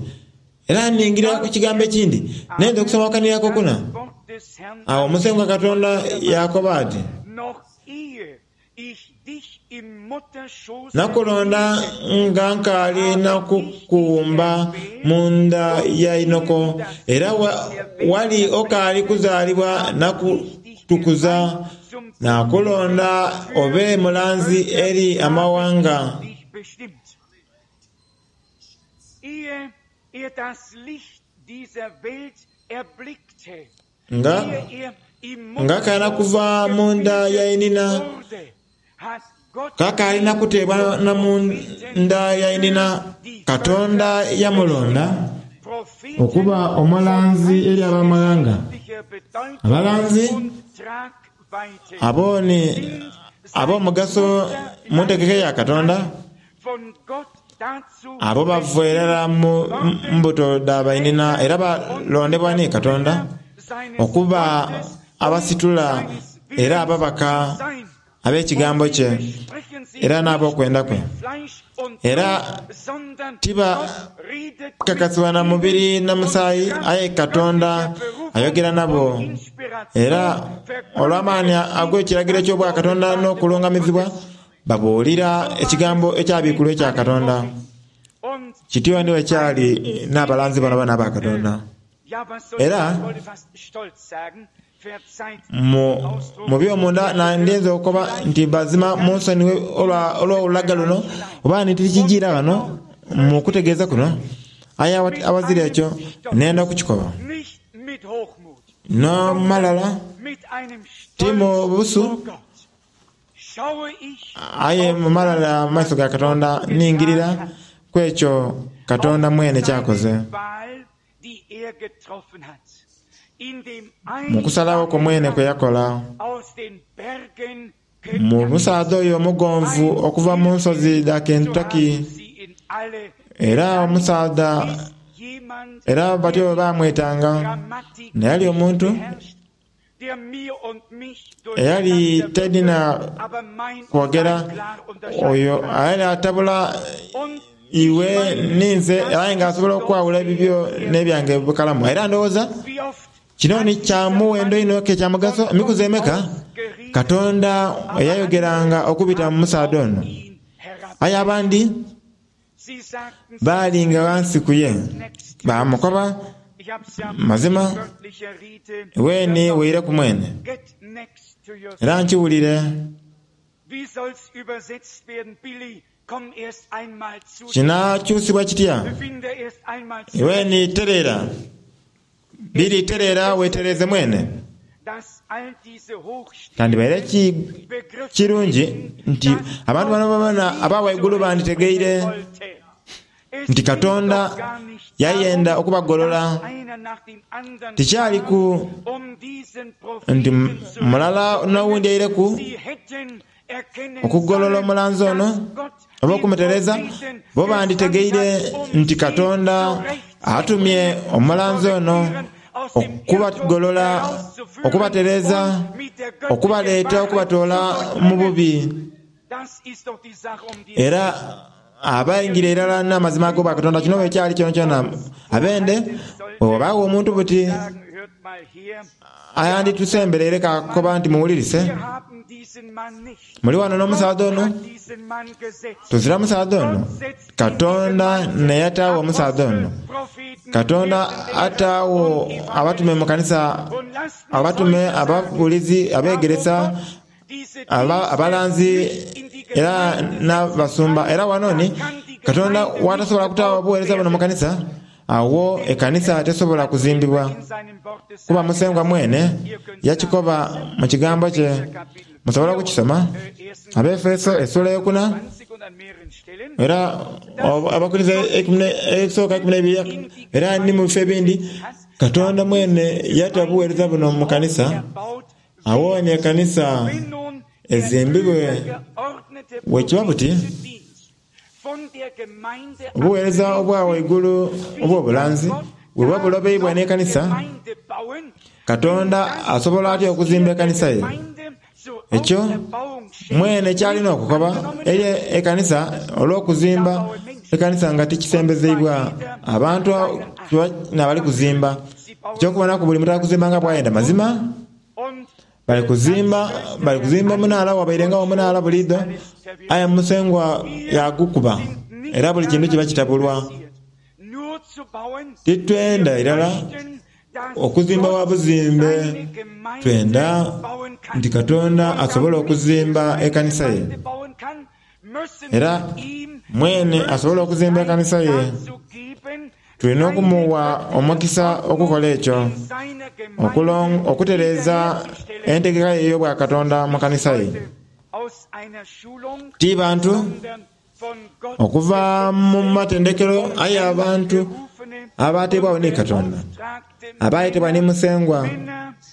Era ningira ku kigambo ekindi, nenda okusoma akanira kokuna. Das Wort des Herrn Awo Musengwa Katonda yakoba ati, noch ehe ich dich im Mutterschoß nakulonda nga nkaali nakukuwumba mu nda ya inoko, era wa, wali okaali kuzaalibwa nakutukuza, nakulonda obe mulanzi eri amawanga. dich bestimmt. Ehe er das Licht dieser Welt erblickte, Nga ehe er im nga kaana kuva mu nda ya inina, wurde, hat Gott kakaali kuteebwa na mu nda ya inina, Katonda yamulonda Propheten okuba omulanzi eri abamawanga. göttlicher Bedeutung Abalanzi und Tragweite abo ni ab'omugaso mu ntegeka ya Katonda, von Gott dazu abo bava irala mu mbuto dha bainina era balondebwa ni Katonda seines okuba Wortes abasitula seines era Willens ababaka sein. ab'ekigambo kye Sprechen sie era n'ab'okwenda kwe. nicht Fleisch und Era Blut, sondern tiba Gott redet kakasibwa na mubiri na musaayi, aye Katonda ayogera nabo. Era olw'amaani ag'ekiragiro ky'obwakatonda n'okulungamizibwa, babuulira ekigambo ekyabikulwa ekya Katonda. und Kityo ni bwe kyali n'abalanzi bano bana aba Katonda. ja, was soll Era ich, ich wollte fast stolz sagen, verzeiht mu mu by'omunda nandiyinza okukoba nti bazima munsonyiwe olwa- olw'olulaga luno oba nti tikijiira wano mu kutegeeza kuno, aye awa- awazira ekyo nenda okukikoba. nicht mit Hochmut, N'omalala mit einem ti mu Stolz busu, vor Gott. Schaue ich aye mu malala mu maiso ga Katonda ningirira ku ekyo Katonda mwene kyakoze. seine Wahl, die er getroffen hat. In dem Mu kusalawo kwe mwene kwe yakola, aus den Bergen mu musaadha oyo omugonvu okuva mu nsozi dha Kentucky, sie in alle era omusaadha ist jemand, era batyo bwe baamwetanga, Grammatik naye ali omuntu beherrscht, der mir und mich eyali durcheinander tedina würfelt, aber mein und kwogera sein klar unterscheiden oyo kann. ayali atabula Und iwe ninze aye ng'asobola okwawula ebibyo n'ebyange bukalamu. Era ndowooza wie oft kino ni kya muwendo inho ke kya mugaso emikuzi emeka Katonda eyayogeranga okubita mu musaadha ono. ihn herab. Aye abandi Sie sagten baalinga ghansi ku ye next baamukoba Ich hab's ja mazima wörtlicher Rede. weeni weireku mwene. Get next to yourself. Era nkiwulire Wie soll's übersetzt werden, Billy? Komm erst einmal zu dir. kinakyusibwa kitya? Finde erst einmal zu Iweni tereera biri tereera weetereeze mwene. dass all diese hochstehenden Kandibaire ki Begriffe kirungi nti dass abantu bano babona aba waigulu banditegeire wollte. Es nti ging Katonda doch gar nicht yayenda darum, okubagolola. dass einer nach dem anderen Tikyali ku kam, um diesen nti Propheten zu mulala n'owundi aireku Sie hätten erkennen okugolola sollen, omulanzi ono dass Gott oba den okumutereeza, Propheten bo banditegeire gesandt hat, um nti sie Katonda atumye zurechtzubringen, omulanzi ono zu korrigieren, aus dem Irrtum okubagolola, herauszuführen okubatereeza, und mit der göttlichen okubaleeta, Wahrheit okubatoola zu mu durchdringen. bubi. Das ist doch die Sache, um die es Era abayingira irala n'amazima ag'obwa Katonda kino bwe kyali kyonakyona abende bw'obaawo omuntu buti sagen, hört mal her, ayanditusembereire kakoba nti muwulirise wir haben diesen Mann nicht. muli wano n'omusaadha ono Gott hat diesen Mann gesetzt. tuzira musaadha ono Gott setzt ihn Katonda diesen Mann neyataawo omusaadha ono. Apostel, Propheten, Katonda Hirtenlehrer ataawo und abatume mu kanisa, Und lasst mich abatume, heute sagen, ababuulizi, da wo abeegeresa, Gott diese aba- Dienste abalanzi nicht in die era Gemeinde setzen n'abasumba. kann, Era wano ni da kann die Katonda Gemeinde nicht watasobola kutaawo gebaut obuweereza buno mu werden. kanisa, awo ekanisa tesobola kuzimbibwa. In seinem Worte Kuba sagen, Musengwa mwene ihr könnt yakikoba mu kigambo kye, musobola okukisoma Abefeso essuula eyokuna zwanzig und an mehreren Stellen era abakkiriza ekisooka ekumi n'ebiri era ni mu bifo ebindi Katonda mwene yata obuweereza buno mu kanisa erbaut awo ni ekanisa Wenn nun der ezimbibwe übergeordnete bwe kiba buti prophetische Dienst Obuweereza obwa waigulu obw'obulanzi bweba bulobeibwa n'ekanisa, Katonda asobola atya okuzimba ekanisa ye? Ekyo mwene kyalina okukoba eri ekanisa olw'okuzimba ekanisa nga tikisembezeibwa abantu nabali kuzimba. Ekyokubonaku buli muntu ali kuzimba nga bwayenda mazima bali kuzimba bali kuzimba omunaala wabairengawo omunaala buliidho, aye Musengwa yagukuba era buli kintu kiba kitabulwa. Titwenda irala okuzimba wa buzimbe, twenda nti Katonda asobole okuzimba ekanisa ye. Era mwene asobole okuzimba ekanisa ye, tulina okumuwa omukisa okukola ekyo, okutereeza entegeka ye ey'obwakatonda mu kanisa ye. Ti bantu okuva mu matendekero, aye abantu abateebwawo ni Katonda, abayetebwa ni Musengwa,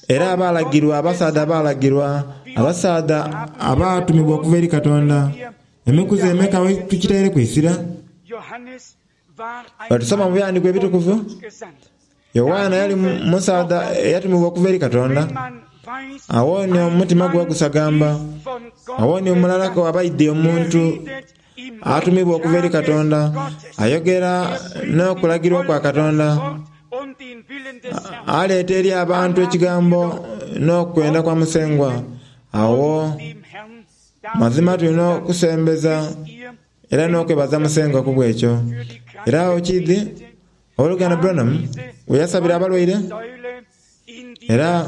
era abalagirwa, abasaadha abalagirwa, abasaadha abatumibwa okuva eri Katonda. Emikuzi emeka tukitaire kwisira? Bwetusoma mu byawandiikibwa ebitukuvu, Yowaana yali musaadha eyatumibwa okuva eri Katonda. Awo ni omutima gwe gusagamba, awo ni omulala abaidhi omuntu atumibwa okuva eri Katonda, ayogera n'okulagirwa kwa Katonda, aleeta eri abantu ekigambo n'okwenda kwa Musengwa. Awo mazima tulina okusembeza era n'okwebaza Musengwa ku bwekyo. Era awo kidhi oluganda Branham we yasabira abalwaire, era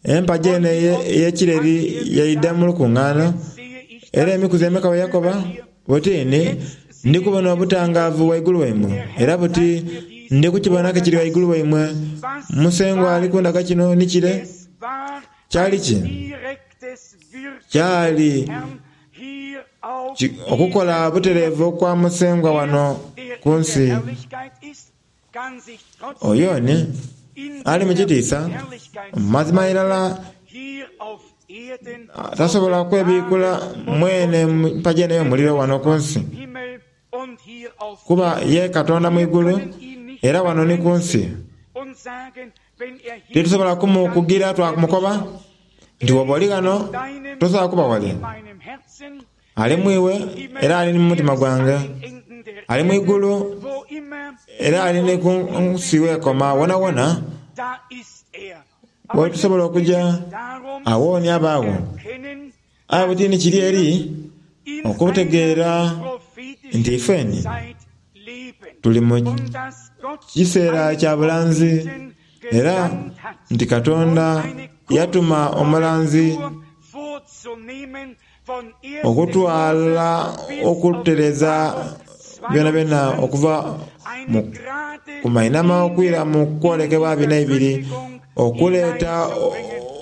empagi eno ey'ekireri yaidha mu lukungaana, era emikuzi emeka we yakoba buti ni ndi kubona obutangaavu waigulu waimwe, era buti ndi kukibona kiri waigulu waimwe. Musengwa ali kundaga kino ni kire. Kyali ki? Kyali okukola butereevu kwa Musengwa wano ku nsi. Oyo ni ali mu kitiisa mazima irala tasobola kwebikula mwene mpagi eno ey'omuliro wano ku nsi, kuba ye Katonda mu igulu era wano ni ku nsi. Titusobola kumukugira twakumukoba nti woba oli ghano tosobola kuba wale. Ali mwiwe era ali mu mutima gwange, ali mu igulu era ali ni ku nsi wekoma wonawona wetusobola okuja awo ni abaawo. Aye butini kiri eri okutegeera nti ifeni tuli mu kiseera kya bulanzi, era nti Katonda yatuma omulanzi okutwala okutereza byonabyona okuva ku mainama okwira mu kwolekebwa bina ibiri, okuleeta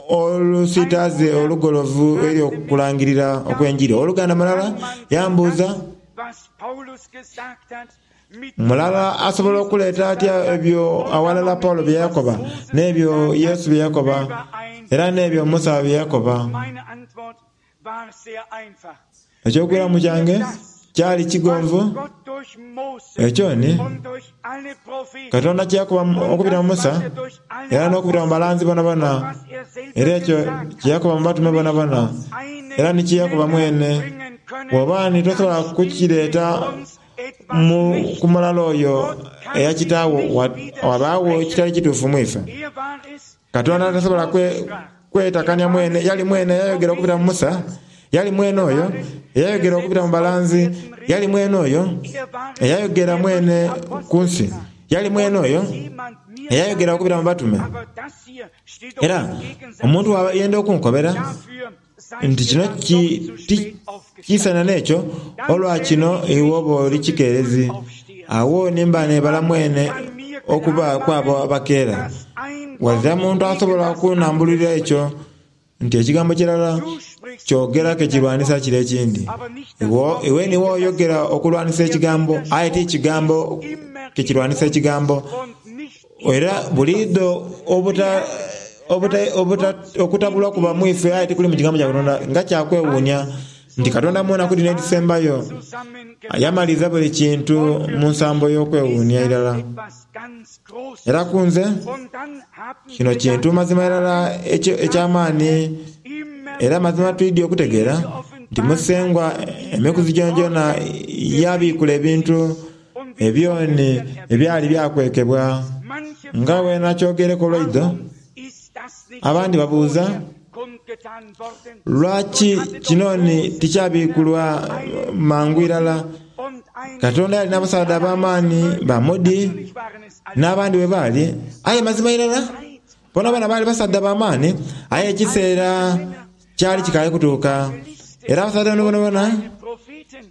olusitaze olugolovu eri okulangirira okw'enjiri. Oluganda mulala yambuuza, mulala asobola okuleeta atya ebyo awalala Paulo bye yakoba, n'ebyo Yesu bye yakoba, era n'ebyo Musa bye yakoba? Ekyokwiramu kyange kyali kigonvu. Ekyo ni Katonda kyeyakoba okubita mu Musa era n'okubita mu balanzi bonabona, era ekyo kyeyakoba mu batume bonabona, era ni kyeyakoba mwene. Bw'oba ni tosobola kukireeta ku mulala oyo eyakitaawo, wabaawo ekitali kituufu mu ife. Katonda tasobola kwetakania mwene. Yali mwene eyayogera okubita mu Musa, yali mwene oyo eyayogera okubita mu balanzi, yali mwene oyo eyayogera mwene ku nsi, yali mwene oyo eyayogera okubita mu batume. Era omuntu yenda okunkobera nti kino kisana n'ekyo, olwa kino iwe oba oli kikeerezi. Awo nimba nebala mwene okuba kwabo abakeera. Wazira muntu asobola okunambulira ekyo nti ekigambo kirala kyogera ke kirwanisa kire ekindi. Iwe niwe oyogera okulwanisa ekigambo, aye ti kigambo ke kirwanisa ekigambo. Era buliidho obuta okutabulwa kuba mwife aye tikuli mu kigambo kya Katonda nga kyakwewuunya. Nti Katonda mu nnaku dhino edhisembayo yamaliza buli kintu mu nsambo y'okwewuunia irala. Era ku nze kino kintu mazima irala eky'amaani, era mazima twidye okutegeera nti Musengwa emikuzi gyonagyona yabiikula ebintu ebyoni ebyali byakwekebwa. Nga bwe nakyogereku olwaidho, abandi babuuza, lwaki kinoni tikyabikulwa mangu irala? Katonda yalina abasaadha ab'amaani ba Moody n'abandi bwe baali, aye mazima irala bonabona baali basaadha b'amaani, aye ekiseera kyali kikaali kutuuka. Era abasaadha bano bonabona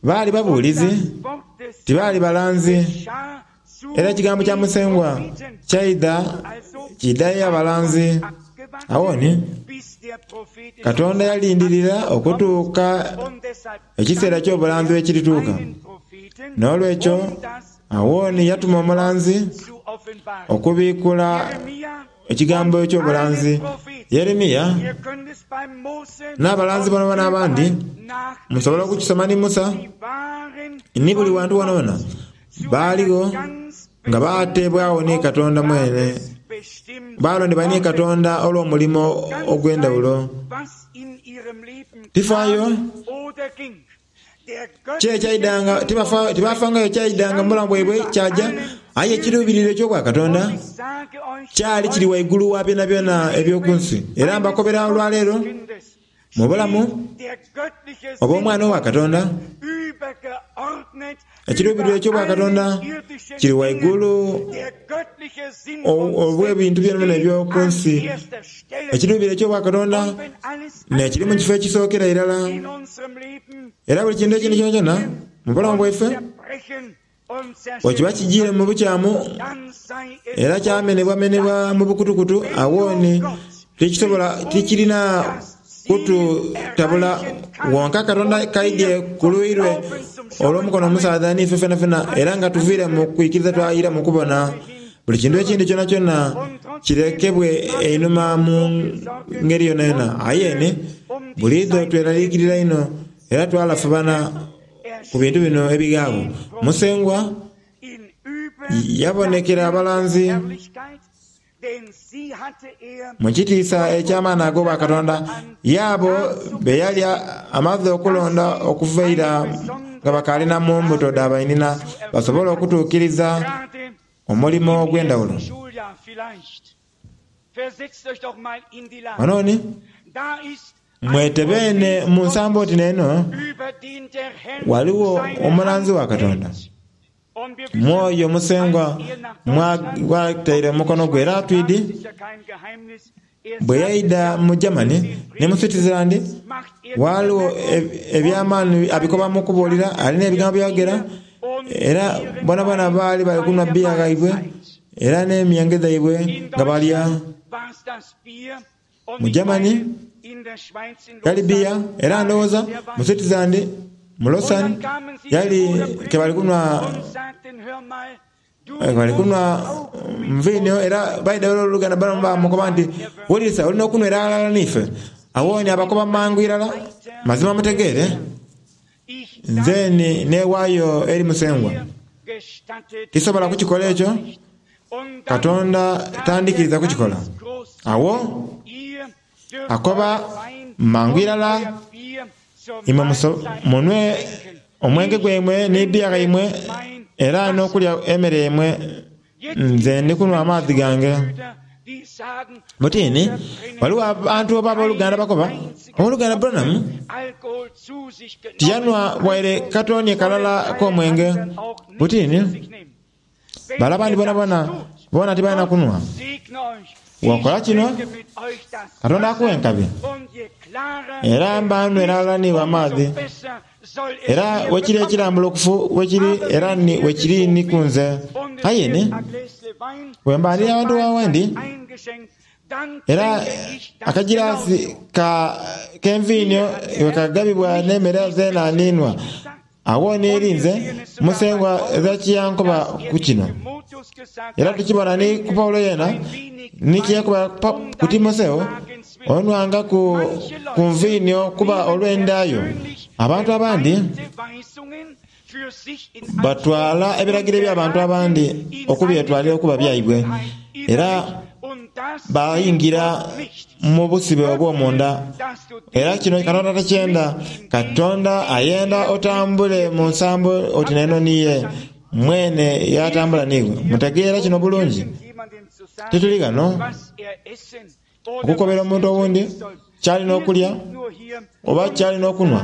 baali babuulizi, tibaali balanzi. Era ekigambo kya Musengwa kyaidha kiidhayo abalanzi. Awoni Katonda yalindirira okutuuka ekiseera ky'obulanzi bwe kirituuka. N'olwekyo awoni yatuma omulanzi okubiikula ekigambo eky'obulanzi. Yeremiya n'abalanzi bonabona abandi, musobola okukisoma ni Musa ni buli wantu wonawona, baaligho nga bateebwagho ni Katonda mwene, balondebwa ni Katonda olw'omulimo ogw'endhawulo. Tifaayo ki ekyaidanga, tibafangayo kyaidanga mu bulamu bwaibwe kyaja, aye ekiruubiriro eky'obwakatonda kyali kiri waigulu wa byonabyona eby'oku nsi. Era mbakobera olwaleero mu bulamu obw'omwana owa Katonda, ekiruubiriro eky'obwakatonda kiri waigulu obw'ebintu byonabyona eby'oku nsi. Ekiruubiriro eky'obwakatonda n'ekiri mu kifo ekisookera irala. Era buli kintu ekindi kyonakyona mu bulamu bwaife bwekiba kijiire mu bukyamu era kyamenebwamenebwa mu bukutukutu, awoni tikisobola, tikirina kututabula. Wonka Katonda kaidye ku luuyi lwe olw'omukono omusaadha n'ife fenafena, era nga tuviire mu kwikiriza twayira mu kubona. Buli kintu ekindi kyonakyona kirekebwe einhuma mu ngeri yonayona. Aye ni buliidho tweraliikirira inho era twalafubana ku bintu bino ebighaagho. Musengwa yabonekera abalanzi mu kitiisa eky'amaani ag'obwakatonda, y'abo be yali amaze okulonda okuva eira nga bakaali na mu mbuto dha bainhina, basobole okutuukiriza omulimo ogw'endhawulo. Wano ni mwetebene mu nsambo oti n'eno, ghaligho omulanzi wa Katonda Mwoyo Musengwa mwataire omukono gwe. Era twidi bwe yaidha mu Germany ni mu Switzerland, ghaligho eby'amaani abikoba mu kubuulira, alina ebigambo byayogera, era bonabona baali bali kunhwa bbiya ghaibwe era n'emyenge dhaibwe nga balya. Mu Germany yali bbiya, era ndowooza mu Switzerland, mu Lausanne, yali ke bali kunhwa bali kunhwa nviinho, era baidha oluganda bamukoba nti, wulirisa, olina okunhwera ghalala n'ife. Awo ni abakoba mangu irala, mazima mutegeere, nze ni neewaayo eri Musengwa. Tisobola kukikola ekyo, Katonda tandikiriza kukikola. Awo akoba mangu irala, imwe munwe omwenge gwaimwe ni bbiya ghaimwe era n'okulya emere yaimwe, nze ndi kunhwa amaadhi gange. Butini, ghaligho abantu oba aboluganda bakoba, Owoluganda Branham tiyanhwa waire katonie kalala k'omwenge. Butini, bale abandi bonabona bona tibalina kunhwa. Bw'okola kino, Katonda akuwa enkabi. Era mba nnhwera ghalala n'iwe amaadhi. Era wekiri ekirambulukufu wekiri era ni wekiri ni ku nze. Aye ni bwemba ndi awantu awendi, era akagiraasi ka k'enviinho bwe kagabibwa n'emere zeena ninhwa, agho ni eri nze Musengwa ezakiyankoba ku kino. Era tukibona ni ku Paulo yeena, ni kye yakoba ku Timotheo, onwangaku ku nviinho kuba olw'enda yo. Abantu abandi batwala ebiragiro eby'abantu abandi okubyetwalira okuba byaibwe, era bayingira mu busibe obw'omunda. Era kino Katonda takyenda. Katonda ayenda otambule mu nsambo oti neno niye mwene yatambula niiwe. Mutegeera kino bulungi? Tituli ghano okukobera omuntu owundi kyalina okulya oba kyalina okunhwa.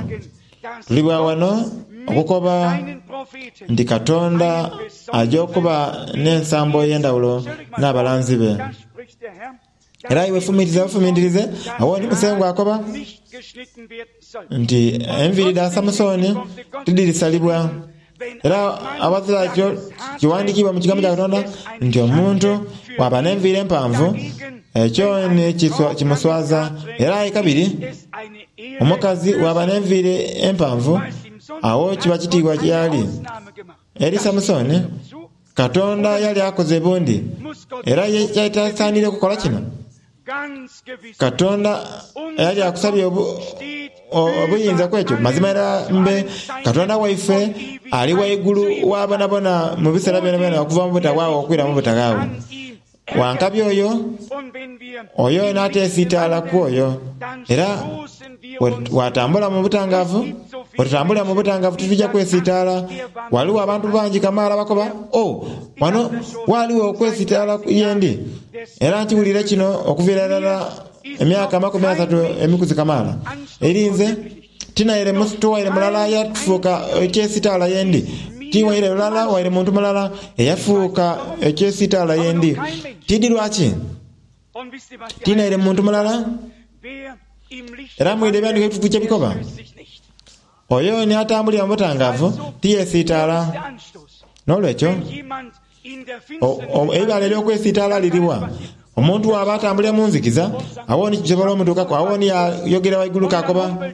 Tuli bwa wano okukoba nti Katonda aja okuba n'ensambo ey'endhawulo n'abalanzi be. Era iwe fumitiriza bufumintirize, awo ni Musengwa akoba nti enviiri dha Samusoni tidhirisalibwa. Era awazira kyo kiwandiikibwa mu kigambo kya Katonda nti omuntu bw'aba n'enviiri empanvu ekyo ni kimuswaza. Era aye kabiri omukazi bw'aba n'enviiri empanvu awo kiba kitiibwa gy'ali. Eri Samusoni, Katonda yali akoze bundi, era ye kyali kukola kino. Katonda yali akusabye obuyinza ku ekyo. Mazima era mbe Katonda waife ali waigulu wa bonabona mu biseera byonabyona okuva mu butagwawo okwira mu butagwawo. Wankabi oyo, oyo n'ateesiitaala ku oyo. Era watambula mu butangavu, otutambulira mu butangavu titujja kwesiitaala. Waliwo abantu bangi kamaala bakoba, oh, wano waliwo okwesiitaala yendi. Era nkiwulire kino okuviira irala emyaka amakumi asatu emikuzi kamaala. Eri nze tinaire tuwaire mulala yatufuuka ekyesitaala yendi. Tiwaire lulala waire muntu mulala eyafuuka ekyesitaala yendi. Tidi lwaki? Tinaire muntu mulala. Era mwidde ebyandiko ebitukuvu kye bikoba. Oyo ni atambulira mu butangavu tiyesiitaala. N'olwekyo eibale ery'okwesiitaala liriwa? Omuntu waba atambulira mu nzikiza, awo ni kisobola omutuukaku, awo ni yayogera waigulu kakoba,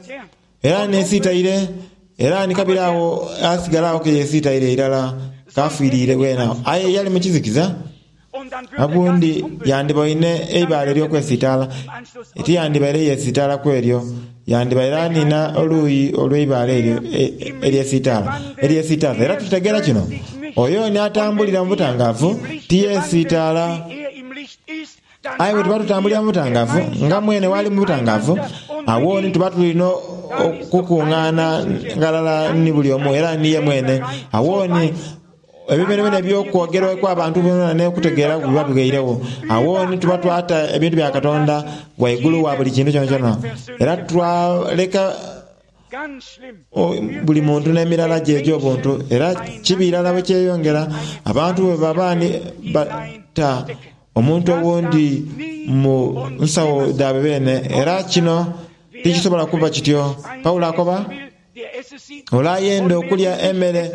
era nesiitaire, era ni kabiri awo asigala awo ke yesiitaire irala kafiirire weena. Aye yali mu kizikiza, abundi yandiboine eibale ery'okwesiitaala, tiyandibaire yesiitaala ku eryo, yandibaire anina oluuyi olw'eibaale eryo eryesiitaala eryesiitaza. Era tutegeera kino, oyo ni atambulira mu butangavu tiyesiitaala. Aye bwe tuba tutambulira mu butangavu nga mwene wali mu butangavu, awo ni tuba tulina okukungaana ghalala ni buli omu era niye mwene. Awo ni ebyo byonabyona eby'okwogerwa abantu byona n'okutegeera biba bighairegho. Awo ni tuba twata ebintu bya Katonda waigulu wa buli kintu kyonakyona. Era twaleka buli muntu n'emirala gye egy'obuntu. Era kibi irala bwe kyeyongera abantu bwe baba ni bata omuntu owundi mu nsawo dhaabwe beene. Era kino tikisobola kuba kityo. Paulo akoba, ole ayenda okulya emmere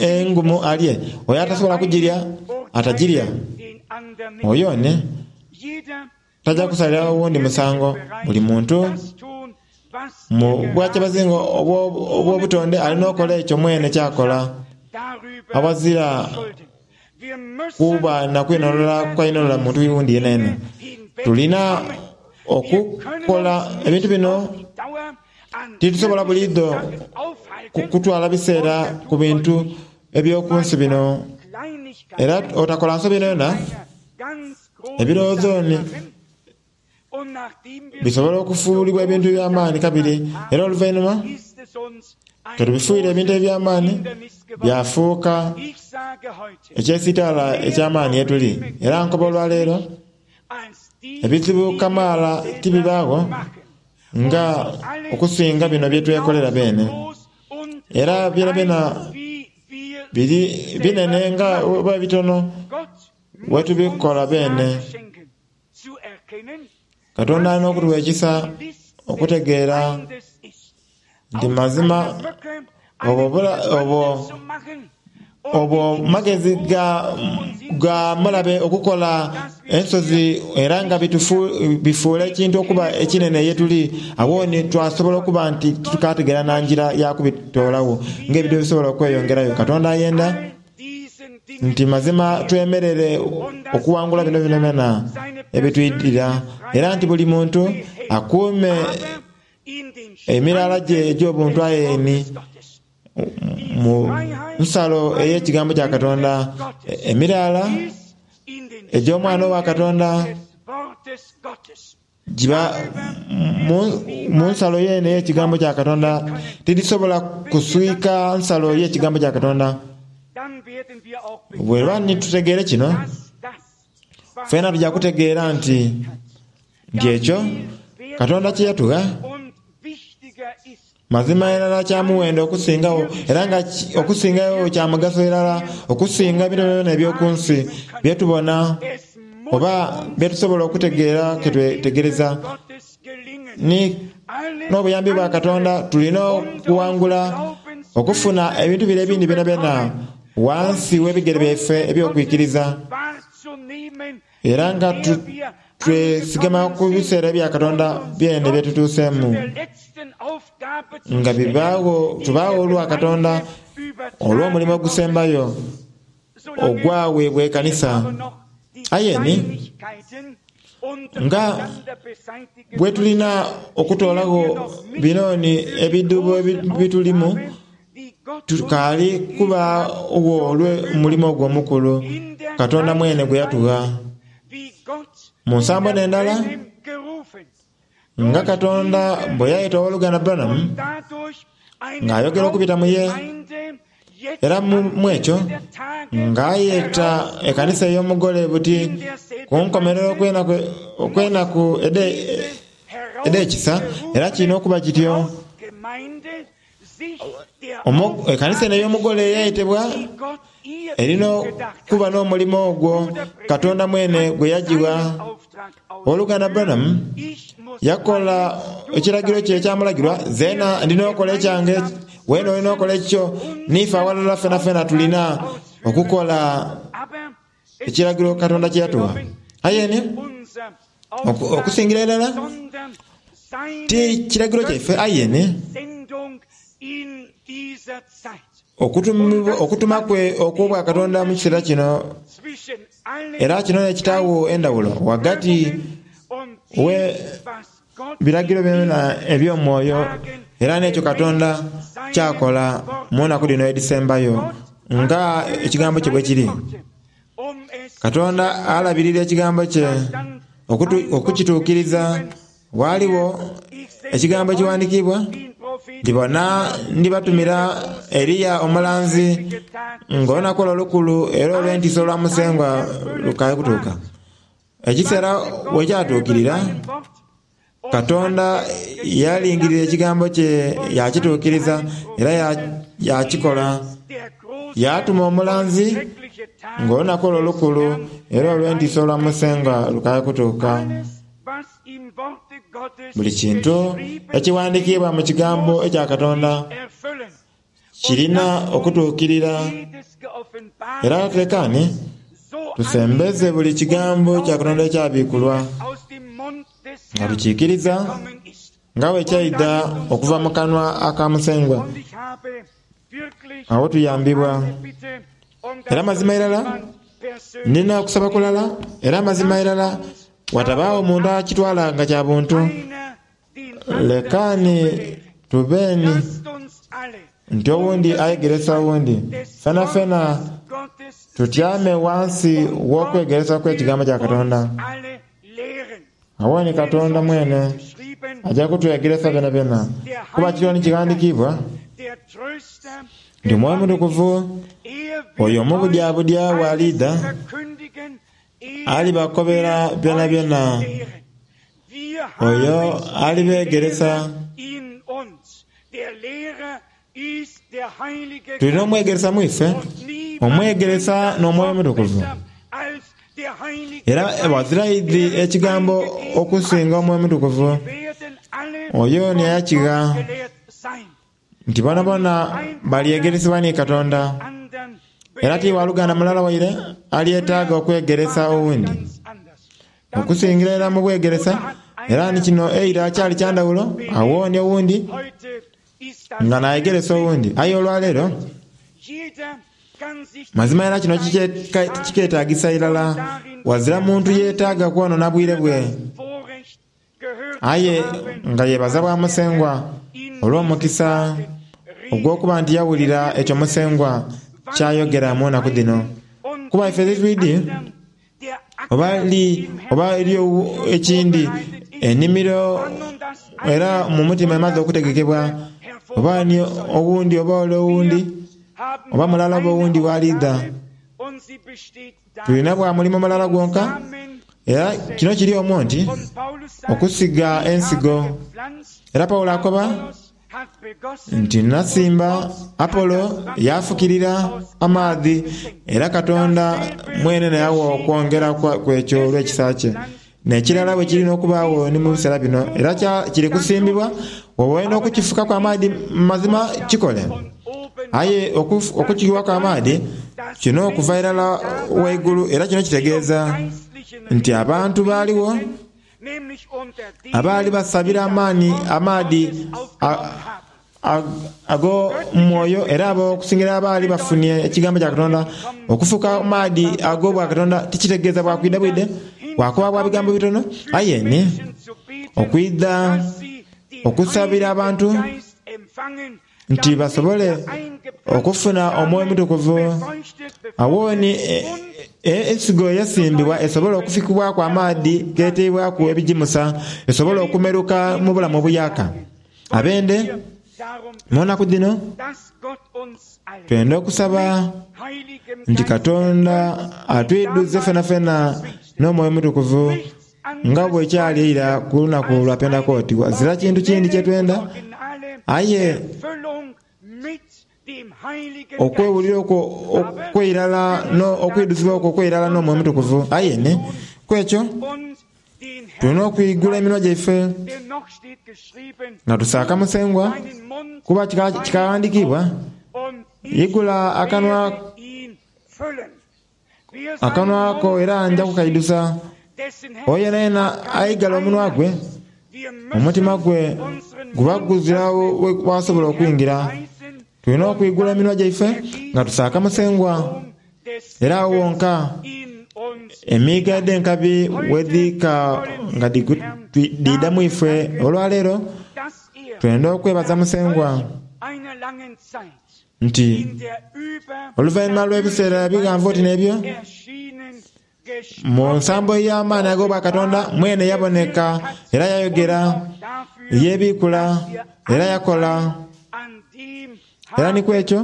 engumu alye, oyo atasobola kugirya atagirya. Oyo ni tajja kusalira owundi musango. Buli muntu mu bwakyabazinga obw'obutonde alina okukola ekyo mwene kyakola. Awazira kuba na kwinhonhola kwainhonhola muntu wundi yenayena. Tulina okukola ebintu bino. Titusobola buliidho kutwala biseera ku bintu eby'okunsi bino. Era otakola nsobi yonayona, ebirowoozo ni bisobola okufuulibwa ebintu eby'amaani kabiri. Era oluvainhuma ketubifuire ebintu eby'amaani byafuuka ekyesitaala eky'amaani yetuli. Era nkoba olwaleero ebizibu kamaala tibibaagho nga okusinga bino byetwekolera beene. Era byonabyona biri binene nga oba bitono wetubikola beene. Katonda alina okutuwa ekisa okutegeera nti mazima obwo obwo obwo magezi ga, ga mulabe okukola ensozi era nga bifuula ekintu okuba ekinene yetuli. Awo ni twasobola okuba nti titukategeera na njira ya kubitoolawo ng'ebintu ebisobola okweyongerayo. Katonda ayenda nti mazima twemerere okuwangula bino byonabyona ebitwidira, era nti buli muntu akuume Emirala gye egy'obuntu ayeni mu nsalo ey'ekigambo kya Katonda, emirala egy'omwana wa Katonda giba mu nsalo yene ey'ekigambo kya Katonda, tidisobola kuswika nsalo y'ekigambo kya Katonda. Bweba nitutegeere kino, fena tujja kutegeera nti nti ekyo Katonda kye yatugha mazima irala kya muwendo okusingawo, era nga okusingawo kya mugaso irala okusinga ebintu byona eby'oku nsi byetubona oba byetusobola okutegeera ketwetegereza. Ni n'obuyambi bwa Katonda tulina okuwangula okufuna ebintu bire ebindi byonabyona wansi w'ebigere byaife eby'okwikiriza, era nga twesigama ku biseera bya Katonda byene byetutuuseemu, nga bibaawo tubaawo olwa Katonda olw'omulimu ogusembayo ogwaweebwa ekanisa. Aye ni nga bwe tulina okutoolagho binooni ebidubo bitulimu, tukaali kubaawo olw'omulimu ogwo omukulu Katonda mwene gwe yatugha. Mu nsambo n'endala, nga Katonda bwe yayeta ow'oluganda Branham ng'ayogera okubita mu ye, era mu ekyo ng'ayeta ekanisa ey'omugole buti ku nkomerero okw'enaku edh'ekisa, era kirina okuba kityo. Ekanisa eno ey'omugole eyayetebwa erina okuba n'omulimu ogwo Katonda mwene gwe yagiwa. Ow'oluganda Branham yakola ekiragiro kye ekyamulagirwa, zeena ndina okukola ekyange, weena olina okukola ekikyo, niife awalala fena fena tulina okukola ekiragiro Katonda kye yatuwa. Aye ni okusingira irala ti kiragiro kyaife, aye ni okutuma kwe okw'obwa Katonda mu kiseera kino, era kino n'ekitaawo endawulo ghagati we biragiro byona eby'omwoyo era n'ekyo Katonda kyakola mu nnaku dhino edhisembayo nga ekigambo kye bwe kiri. Katonda alabirira ekigambo kye okukituukiriza. Waaliwo ekigambo ekiwandiikibwa, ndibona ndibatumira Eriya omulanzi ng'olunaku olwo olukulu era olw'entiisa olwa Musengwa lukaali kutuuka. Ekiseera bwe kyatuukirira, Katonda yalingirira ekigambo kye yakituukiriza era yakikola. Yatuma omulanzi ng'olunaku olwo olukulu era olw'entiisa olwa Musengwa lukaali kutuuka. Buli kintu ekiwandiikibwa mu kigambo ekya Katonda kirina okutuukirira, era tulekane tusembeze buli kigambo kya Katonda ekyabikulwa nga tukiikiriza nga bwe kyaidha okuva mu kanwa aka Musengwa. Awo tuyambibwa. Era mazima irala nina okusaba kulala, era mazima irala watabaawo omuntu akitwala nga kya buntu. Lekani tubeni nti owundi ayegeresa owundi, fena fena tutyame wansi w'okwegeresa kw'ekigambo kya Katonda. Awo ni Katonda mwene ajja kutwegeresa byonabyona, kuba kiriwo ni kighandiikibwa nti Omwoyo Omutukuvu oyo omubudyabudya bw'aliidha alibakobera byonabyona, oyo alibeegeresa. Tulina omwegeresa mu ife, omwegeresa n'Omwoyo Omutukuvu. Era ghazira aidhi ekigambo okusinga Omwoyo Omutukuvu, oyo ni eyakigha nti bonabona balyegeresebwa ni Katonda. Era ti waluganda mulala waire alyetaaga okwegeresa owundi okusingira irala mu bwegeresa. Era ni kino eira kyali kya ndhawulo, awo ni owundi nga nayegeresa owundi. Aye olwaleero mazima era kino kiketagisa irala, wazira muntu yeetaaga kwonona bwire bwe, aye nga yebaza bwa Musengwa Olw'omukisa ogw'okuba nti yawulira ekyo Musengwa kyayogera mu nnaku dhino. Kuba ife titwidi oba li oba eriyo ekindi ennimiro era mu mutima emaze okutegekebwa oba ni owundi oba ole owundi oba mulala oba owundi w'aliidha. Tulina bwa mulimo mulala gwonka, era kino kiri omwo nti okusiga ensigo. Era Pawulo akoba nti nasimba, Apolo yafukirira amaadhi, era Katonda mwene n'awa okwongera kwekyo olw'ekisa kye. N'ekirala bwe kirina okubaagho ni mu biseera bino, era kiri kusimbibwa oba okukifukaku amaadhi mazima kikole. Aye okukiwaku amaadhi kino okuva irala waigulu, era kino kitegeeza nti abantu baaliwo abaali basabira amaani amaadhi ag'omwoyo, era abo okusingira abaali bafunye ekigambo kya Katonda. Okufuka amaadhi ag'obwa Katonda tikitegeeza bwa kwidha bwide, bwakuba bwa bigambo bitono, aye ni okwidha okusabira abantu nti basobole okufuna omwoyo omutukuvu. Awo ni ensigo eyasimbibwa esobola okufikibwaku amaadhi geteibwaku ebigimusa, esobola okumeruka mu bulamu obuyaka. Abende mu nnaku dhino twenda okusaba nti Katonda atwidhuze fenafena n'omwoyo omutukuvu nga bwekyali eira ku lunaku lwa Pentekooti. Wazira kintu kindi kyetwenda, aye okwewulira okwo okweirala okwidhuzibwa okwo okweirala n'omwoyo omutukuvu. Aye ni kwekyo tulina okwigula eminwa gyaife nga tusaaka Musengwa, kuba kikaghandiikibwa, igula akanwa akanwa ko era nja kukaidhusa. Oyo yenayena aigala omunwa gwe, omutima gwe guba guzira wasobola okwingira. Tulina okwigula eminwa gyaife nga tusaaka Musengwa, era awo wonka emiiga edh'enkabi wedhiika nga dhidha mu ife. Olwaleero twenda okwebaza Musengwa nti oluvainhuma lw'ebiseera ebighanvu oti n'ebyo, mu nsambo ey'amaani ag'obwa Katonda mwene yaboneka era yayogera, yebiikula era yakola. Era ni kwekyo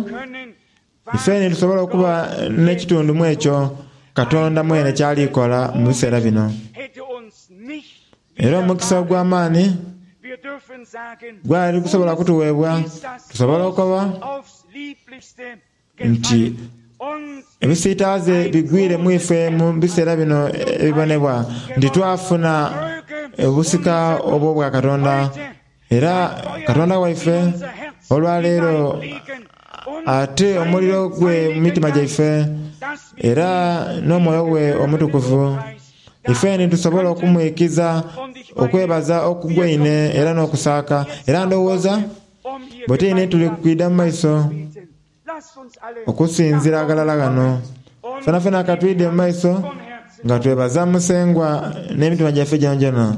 ife nitusobola okuba n'ekitundu mu ekyo Katonda mwene kyalikola mu biseera bino. Era omukisa ogw'amaani gwali gusobola kutuweebwa, tusobola okuba nti ebisiitaaze bigwire mu ife mu biseera bino ebibonebwa, nti twafuna obusika obw'obwa Katonda. Era Katonda waife olwaleero ate omuliro gwe mu mitima gyaife era n'omwoyo gwe omutukuvu, ife nitusobola okumwikiza okwebaza okugwaine era n'okusaaka. Era ndowooza bwetwine tuli kwidha mu maiso okusinzira aghalala ghano. Fenafena ka twidhe mu maiso nga twebaza Musengwa n'emitima gyaife gyonagyona.